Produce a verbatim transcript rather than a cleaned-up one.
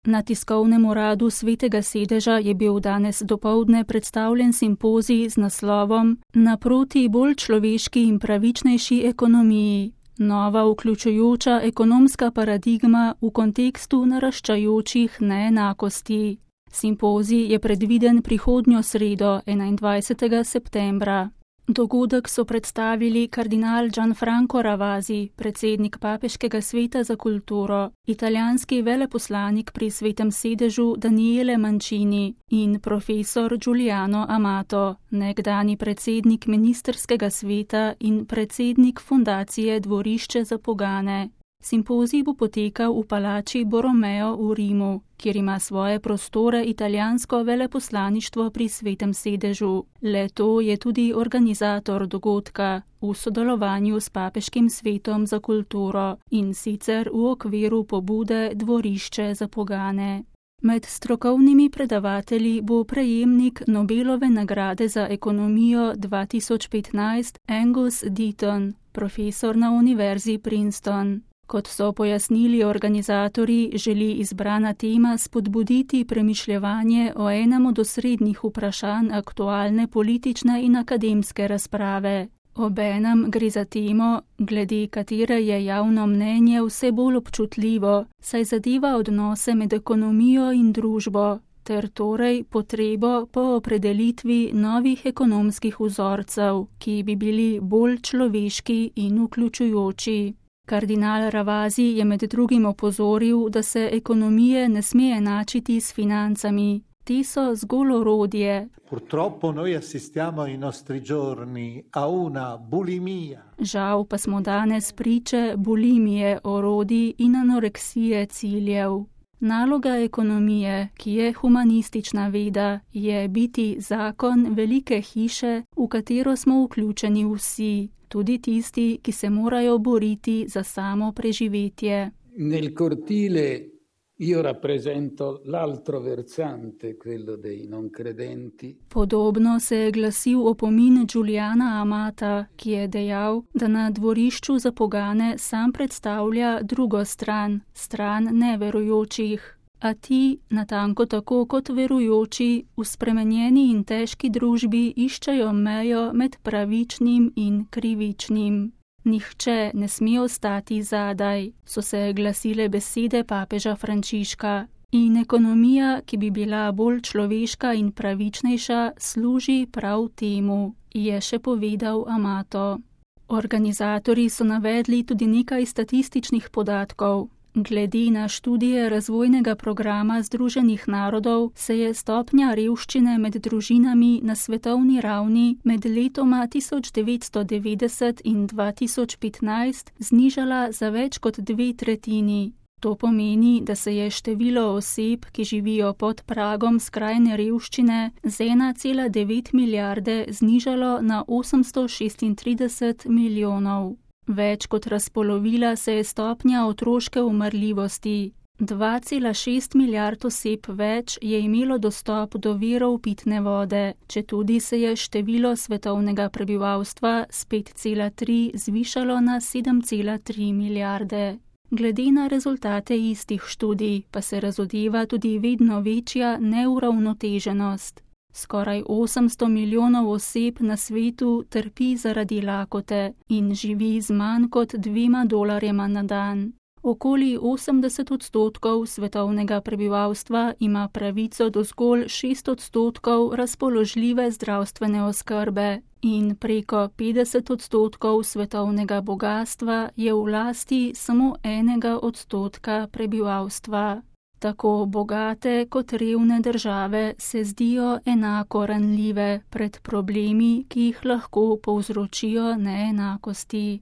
Na tiskovnem uradu Svetega sedeža je bil danes dopoldne predstavljen simpozij z naslovom Naproti bolj človeški in pravičnejši ekonomiji. Nova vključujoča ekonomska paradigma v kontekstu naraščajočih neenakosti. Simpozij je predviden prihodnjo sredo, enaindvajsetega septembra. Dogodek so predstavili kardinal Gianfranco Ravasi, predsednik Papeškega sveta za kulturo, italijanski veleposlanik pri Svetem sedežu Daniele Mancini in profesor Giuliano Amato, nekdani predsednik ministrskega sveta in predsednik fundacije Dvorišče za pogane. Simpozij bo potekal v palači Borromeo v Rimu, kjer ima svoje prostore italijansko veleposlaništvo pri Svetem sedežu. Le-to je tudi organizator dogodka v sodelovanju s Papeškim svetom za kulturo in sicer v okviru pobude Dvorišče za pogane. Med strokovnimi predavatelji bo prejemnik Nobelove nagrade za ekonomijo dva tisoč petnajst Angus Deaton, profesor na Univerzi Princeton. Kot so pojasnili organizatorji, želi izbrana tema spodbuditi premišljevanje o enem od osrednjih vprašanj aktualne politične in akademske razprave. Obenem gre za temo, glede katere je javno mnenje vse bolj občutljivo, saj zadeva odnose med ekonomijo in družbo, ter torej potrebo po opredelitvi novih ekonomskih vzorcev, ki bi bili bolj človeški in vključujoči. Kardinal Ravasi je med drugim opozoril, da se ekonomije ne sme enačiti s financami. Ti so zgolj orodje. Purtroppo noi assistiamo ai nostri giorni a una bulimia. Žal pa smo danes priče bulimije orodij in anoreksije ciljev. Naloga ekonomije, ki je humanistična veda, je biti zakon velike hiše, v katero smo vključeni vsi. Tudi tisti, ki se morajo boriti za samo preživetje. Nel cortile io rappresento l'altro versante, quello dei non credenti. Podobno se je glasil opomin Giuliana Amata, ki je dejal, da na Dvorišču za pogane sam predstavlja drugo stran, stran neverujočih. A ti, natanko tako kot verujoči, v spremenjeni in težki družbi iščejo mejo med pravičnim in krivičnim. Nihče ne sme ostati zadaj, so se glasile besede papeža Frančiška. In ekonomija, ki bi bila bolj človeška in pravičnejša, služi prav temu, je še povedal Amato. Organizatorji so navedli tudi nekaj statističnih podatkov. Glede na študije razvojnega programa Združenih narodov se je stopnja revščine med družinami na svetovni ravni med letoma tisoč devetsto devetdeset in dva tisoč petnajst znižala za več kot dve tretjini. To pomeni, da se je število oseb, ki živijo pod pragom skrajne revščine, z ena cela devet milijarde znižalo na osemsto šestintrideset milijonov. Več kot razpolovila se je stopnja otroške umrljivosti. dva cela šest milijard oseb več je imelo dostop do virov pitne vode, četudi se je število svetovnega prebivalstva s pet cela tri zvišalo na sedem cela tri milijarde. Glede na rezultate istih študij pa se razodeva tudi vedno večja neuravnoteženost. Skoraj osemsto milijonov oseb na svetu trpi zaradi lakote in živi z manj kot dvema dolarjema na dan. Okoli osemdeset odstotkov svetovnega prebivalstva ima pravico do zgolj šest odstotkov razpoložljive zdravstvene oskrbe in preko petdeset odstotkov svetovnega bogastva je v lasti samo enega odstotka prebivalstva. Tako bogate kot revne države se zdijo enako ranljive pred problemi, ki jih lahko povzročijo neenakosti.